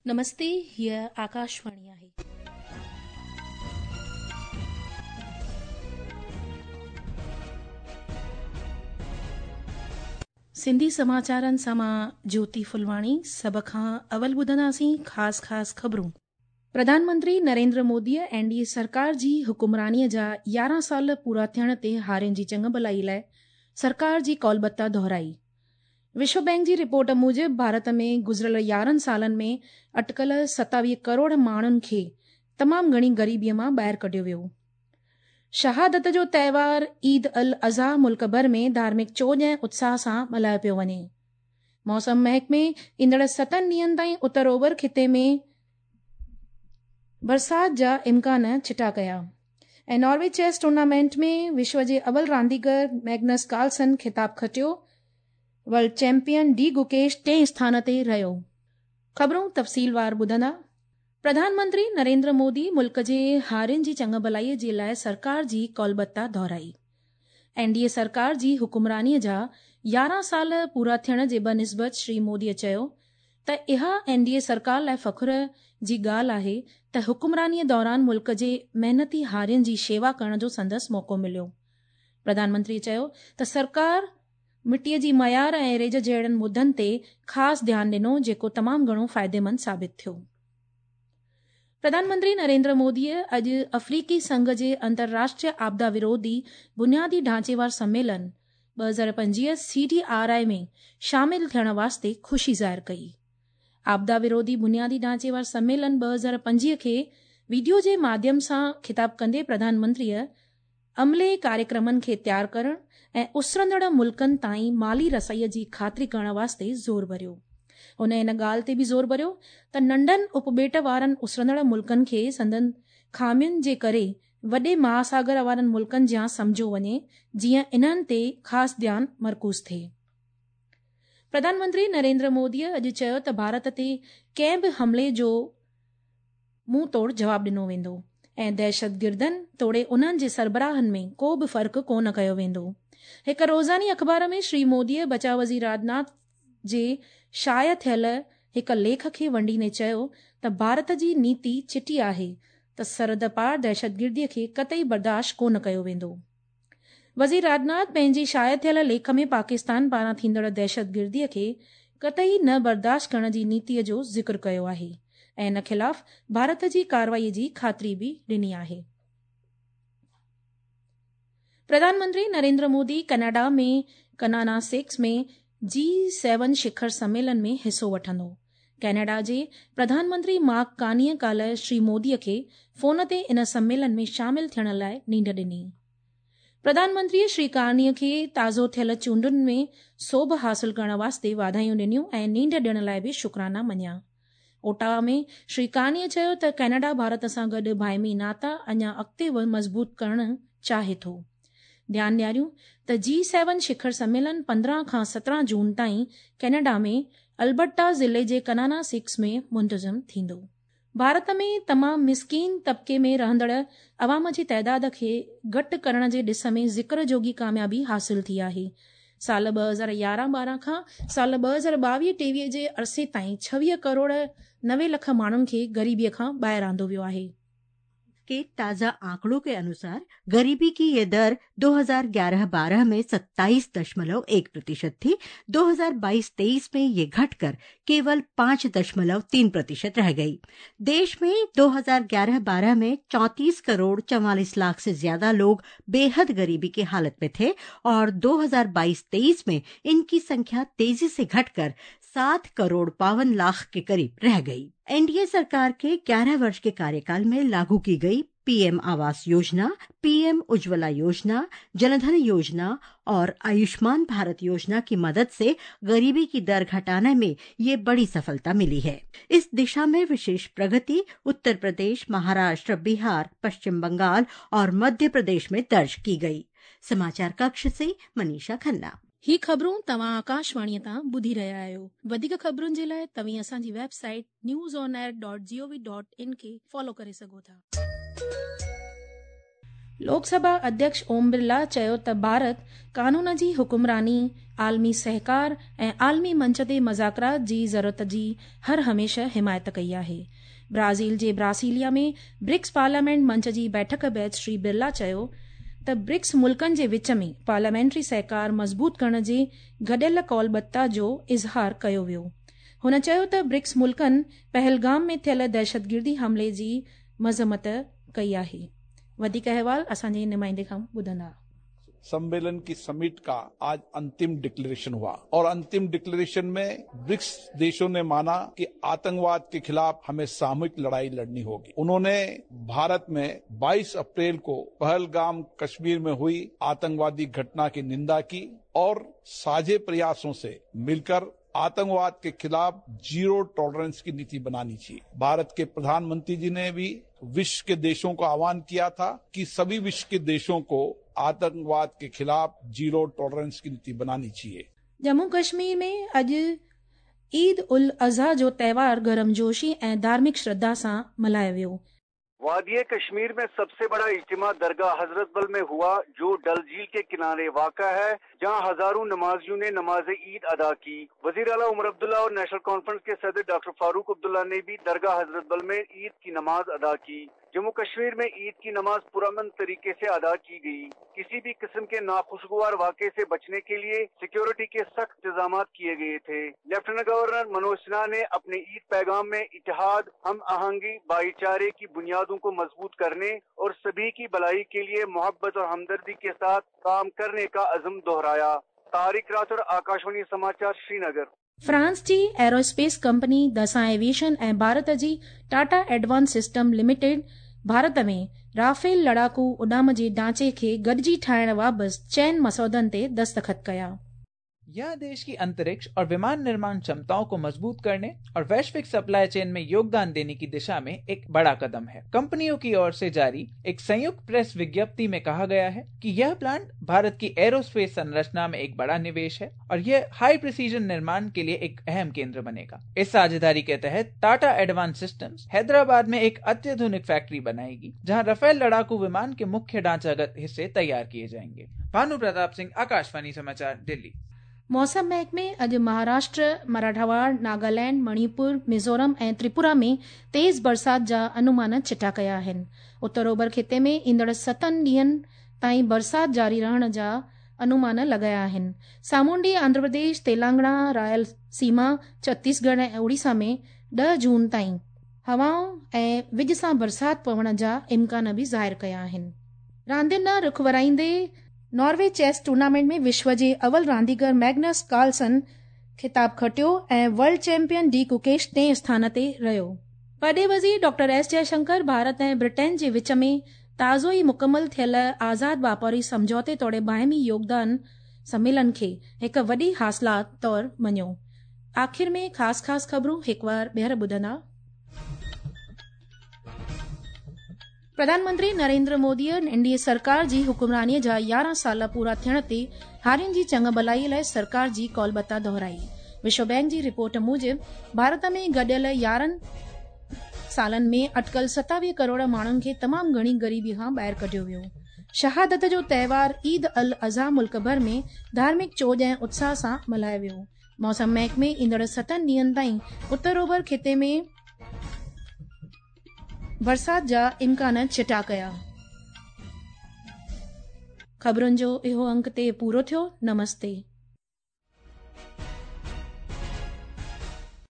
نمستي، هيء آڪاشواڻي آهي. سنڌي سماچارن سان مان جيوتي ڦلواڻي سڀ کان اول ٻڌنداسين خاص خاص خبرون. پرڌان منتري نريندر موديء اين ڊي اي سرڪار جي حڪمرانيء جا 11 سال پورا ٿيڻ تي هارين جي چڱڀلائي لاء سرڪار جي قولبتا دهرائي. وشو بئنڪ جي رپورٽ موجب ڀارت ۾ گذريل 11 سالن ۾ اٽڪل 27 ڪروڙ ماڻهن کي تمام گهڻي غريبيء مان ٻاهر ڪڍيو ويو. شهادت جو تهوار عيد الاضحيٰ ملڪ ڀر ۾ ڌارمڪ چوڄ ۽ اتساهه سان ملهايو پيو وڃي. موسم محڪمي ايندڙ ستن ڏينهن تائين اتر اوڀر خطي ۾ برسات جا امڪان چٽا ڪيا ۽ ناروي چيس ٽورنامينٽ ۾ وشو جي اول رانديگر ميگنس ڪارلسن خطاب کٽيو. ورلڊ چيمپيئن ڊي گوڪيش ٽئين اسٿان تي رهيو. خبرون تفصيلوار ٻڌندا. پرڌان منتري نريندر مودي ملڪ جي هارين جي چڱڀلائي جي لاء سرڪار جي قولبتا دهرائي. اين ڊي اي سرڪار جي حڪمراني جا 11 سال پورا ٿيڻ جي بنسبت شري مودي چيو ته اها اين ڊي اي سرڪار لاء فخر جي ڳالهه آهي ته حڪمراني دوران ملڪ جي محنتي هارين جي شيوا ڪرڻ جو سندس موقعو مليو. پرڌان منتري چيو ته سرڪار مٽيء جي معيار ۽ ريج جهڙن مدن تي خاص ڌيان ڏنو جيڪو تمام گهڻو فائديمند ثابت ٿيو. پرڌان منتري نريندر موديء اڄ افريقي سنگهه جي انترراشٽريه آپدا وروڌي بنيادي ڍانچي وار سميلن 2025 سي ڊي آر I ۾ شامل ٿيڻ واسطي خوشي ظاهر ڪئي. آپدا وروڌي بنيادي ڍانچي وار سميلن 2025 کي وڊيو جي ماڌيم سان خطاب ڪندي پرڌان منتريء عملي ڪاريڪرمن کي تيار ڪرڻ ۽ اسرندڙ ملڪن تائين مالي رسائيء جي خاطري ڪرڻ واسطي زور ڀريو. هن ان ڳالهه تي به زور ڀريو ته ننڍن اپٻيٽ وارن اسرندڙ ملڪن کي سندن خامين جي ڪري وڏي مهاساگر وارن ملڪن جيان سمجهيو وڃي جيئن انهن تي خاص ڌيان مرڪوز ٿئي. پرڌان منتري نريندر موديء اڄ چيو ته ڀارت تي ڪنهن به حملي جو منهن توڙ جواب ڏنو ويندو ۽ دهشتگردن توڙي انهن جي سربراهن ۾ ڪو به فرق ڪو نه ڪيو ويندو. هڪ روزاني اخبار ۾ شري موديء بچاء وزير راجناٿ جي شايع ٿيل هڪ ليک کي ونڊيندي چيو ته ڀارت جي نيتي چٽي آهي ته سرحد پار دهشتگردي کي قطعي برداشت ڪو نه ڪيو ويندو. وزير راجناٿ پنهنجي شايع ٿيل ليک ۾ پاڪستان پاران ٿيندڙ دهشتگردي کي قطعي نه برداشت ڪرڻ جي نيتي جو ذڪر ڪيو آهي ۽ ان خلاف ڀارت جي ڪارروائي جي خاطري به ڏني آهي. پرڌان منتري نريندر مودي ڪئناڊا ۾ ڪناناسڪس ۾ جي سيون شکر سميلن ۾ حصو وٺندو. ڪئناڊا جي پرڌان منتري مارڪ ڪارنيء ڪالهه شري مودي کي فون تي ان سميلن ۾ شامل ٿيڻ لاء نينڍ ڏني. پرڌان منتريء شري ڪارنيء کي تازو ٿيل چونڊن ۾ سوڀ حاصل ڪرڻ واسطي واڌايون ڏنيون ۽ نينڍ ڏيڻ لاء به شڪرانا مڃيا. اوٽاوا ۾ شري ڪارنيء چيو ته ڪئناڊا ڀارت سان گڏ باهمي ناتا اڃا اڳتي مضبوط ڪرڻ چاهي ٿو. ڌيان ڏياريون ته جي سيون شکر سميلن 15 کان 17 جون تائين ڪئناڊا ۾ البرٽا ضلعي جي ڪنانا سڪس ۾ منتظم ٿيندو. ڀارت ۾ تمام مسڪين طبقي ۾ رهندڙ عوام جي تعداد کي گهٽ ڪرڻ جي ڏس ۾ ذڪر جوڳي ڪاميابي حاصل ٿي آهي. سال 2011 12 کان سال 2022 23 جي عرصي تائين 26 ڪروڙ 90 لک ماڻهن کي غريبي کان ٻاهر آندو ويو آهي. के ताज़ा आंकड़ों के अनुसार गरीबी की ये दर 2011-12 में 27.1% थी। 2022-23 में ये घटकर केवल 5.3% रह गई। देश में 2011-12 में 34 करोड़ 44 लाख से ज्यादा लोग बेहद गरीबी की हालत में थे और 2022-23 में इनकी संख्या तेजी से घटकर 7 करोड़ 52 लाख के करीब रह गई। एनडीए सरकार के 11 वर्ष के कार्यकाल में लागू की गई पीएम आवास योजना, पीएम उज्ज्वला योजना, जनधन योजना और आयुष्मान भारत योजना की मदद से गरीबी की दर घटाने में ये बड़ी सफलता मिली है। इस दिशा में विशेष प्रगति उत्तर प्रदेश, महाराष्ट्र, बिहार, पश्चिम बंगाल और मध्य प्रदेश में दर्ज की गई। समाचार कक्ष से मनीषा खन्ना। ही ख़बरूं तव्हां आकाशवाणीअ तां ॿुधी रहिया आहियो। वधीक ख़बरुनि जे लाइ तव्हीं असांजी website newsonair.gov.in खे फॉलो करे सघो था। لوڪ سڀا اڌيڪش اوم برلا چيو ته ڀارت قانون جي حڪمراني، عالمي سهڪار ۽ عالمي منچ تي مذاڪرات جي ضرورت جي هر هميشه حمايت ڪئي آهي. برازيل جي براسيليا ۾ برڪس پارليامينٽ منچ جي بيٺڪ بعد شري برلا چيو ته برڪس ملڪن جي وچ ۾ پارليامينٽري سهڪار مضبوط ڪرڻ جي گڏيل قولبتا جو اظهار ڪيو ويو. هن چيو ته برڪس ملڪن پهلگام ۾ ٿيل دهشتگردي حملي جي مذمت ڪئي آهي. وڌيڪ احوال اسان جي نمائندي کان ٻڌندا. सम्मेलन की समिट का आज अंतिम डिक्लेरेशन हुआ और अंतिम डिक्लेरेशन में ब्रिक्स देशों ने माना कि आतंकवाद के खिलाफ हमें सामूहिक लड़ाई लड़नी होगी। उन्होंने भारत में 22 अप्रैल को पहलगाम कश्मीर में हुई आतंकवादी घटना की निंदा की और साझे प्रयासों से मिलकर आतंकवाद के खिलाफ जीरो टॉलरेंस की नीति बनानी चाहिए। भारत के प्रधानमंत्री जी ने भी विश्व के देशों को आह्वान किया था कि सभी विश्व के देशों को आतंकवाद के खिलाफ जीरो टॉलरेंस की नीति बनानी चाहिए। जम्मू कश्मीर में अॼु ईद उल अज़हा जो त्योहार गर्मजोशी ऐं धार्मिक श्रद्धा सां मल्हायो वियो। वादी कश्मीर में सबसे बड़ा इज्तिमा दरगाह हजरत बल में हुआ, जो डल झील के किनारे वाक़ा है, जहां हजारों नमाजियों ने नमाज ईद अदा की। वजीर आला उमर अब्दुल्ला और नेशनल कॉन्फ्रेंस के सदर डॉक्टर फारूक अब्दुल्ला ने भी दरगाह हजरत बल में ईद की नमाज अदा की। जम्मू कश्मीर में ईद की नमाज पुरअमन तरीके से अदा की गई। किसी भी किस्म के नाखुशगवार वाक़े से बचने के लिए सिक्योरिटी के सख्त इंतजाम किए गए थे। लेफ्टिनेंट गवर्नर मनोज सिन्हा ने अपने ईद पैगाम में इत्तेहाद, हम आहंगी, भाईचारे की बुनियादों को मजबूत करने और सभी की भलाई के लिए मोहब्बत और हमदर्दी के साथ काम करने का अज़्म दोहराया। तारिक राठौर, आकाशवाणी समाचार, श्रीनगर। फ्रांस जी एरोस्पेस कंपनी दसां एविएशन ऐं भारत जी Tata advance system limited Bharat में राफेल लड़ाकू उॾाम जे ढांचे खे गॾिजी ठाहिण बाबति चइनि मसौदनि ते दस्तख़त कया। यह देश की अंतरिक्ष और विमान निर्माण क्षमताओं को मजबूत करने और वैश्विक सप्लाई चेन में योगदान देने की दिशा में एक बड़ा कदम है। कंपनियों की ओर से जारी एक संयुक्त प्रेस विज्ञप्ति में कहा गया है कि यह प्लांट भारत की एरोस्पेस संरचना में एक बड़ा निवेश है और यह हाई प्रिसीजन निर्माण के लिए एक अहम केंद्र बनेगा। इस साझेदारी के तहत टाटा एडवांस सिस्टम्स हैदराबाद में एक अत्याधुनिक फैक्ट्री बनाएगी, जहाँ राफेल लड़ाकू विमान के मुख्य ढांचागत हिस्से तैयार किए जाएंगे। भानु प्रताप सिंह, आकाशवाणी समाचार, दिल्ली। मौसम महकमे अॼु महाराष्ट्र, मराठावाड़, नागालैंड, मणिपुर, मिज़ोरम ऐं त्रिपुरा में तेज़ बरसात जा अनुमान चिटा कया आहिनि। उत्तर ओभर ख़िते में ईंदड़ 7 ॾींहनि ताईं बरसात जारी रहण जा अनुमान लॻाया आहिनि। सामुंडी आंध्र प्रदेश, तेलंगाना, रायलसीमा, छत्तीसगढ़ ऐं ओडिशा में 10 जून ताईं हवाऊं ऐं विज सां बरसात पवण जा इम्कान बि ज़ाहिर कया आहिनि। रांदियुनि ॾांहुं रुख वराईंदे नॉर्वे चेस टूर्नामेंट में विश्व जे अव्वल रांदीगर मैग्नस कार्लसन ख़िताब खटियो ऐं वर्ल्ड चैंपियन डी गुकेश टें स्थान ते रहियो। वॾे वज़ीर डॉक्टर एस जयशंकर भारत ऐं ब्रिटेन जे विच में ताज़ो ई मुकमल थियल आज़ाद वापारी सम्झौते तोड़े बाहिमी योगदान सम्मेलन खे हिकु वॾी हासिलात तौर मञियो। आख़िर में ख़ासि ख़ासि ख़बरूं हिकु वार ॿीहर ॿुधंदा। प्रधानमंत्री नरेंद्र मोदीअ एनडीए सरकार जी हुकुमरानीअ जा 11 साल पूरा थियण ते हारियुनि जी चङु भलाई लाइ सरकार जी कौलबता दोहराई। विश्व बैंक जी रिपोर्ट मूजिबि भारत में गॾियल 11 सालनि में अटकल 27 करोड़ माण्हुनि खे तमामु घणी ग़रीबी खां ॿाहिरि कढियो वियो। शहादत जो त्योहार ईद अल अज़हा मुल्क भर में धार्मिक चोॼ ऐं उत्साह सां मल्हायो वियो। मौसम महकमे ईंदड़ 7 ॾींहनि ताईं उत्तर ओभर ख़िते में बरसात जा इम्कान चिटा कया। ख़बरुनि जो इहो अंक ते पूरो थियो। नमस्ते।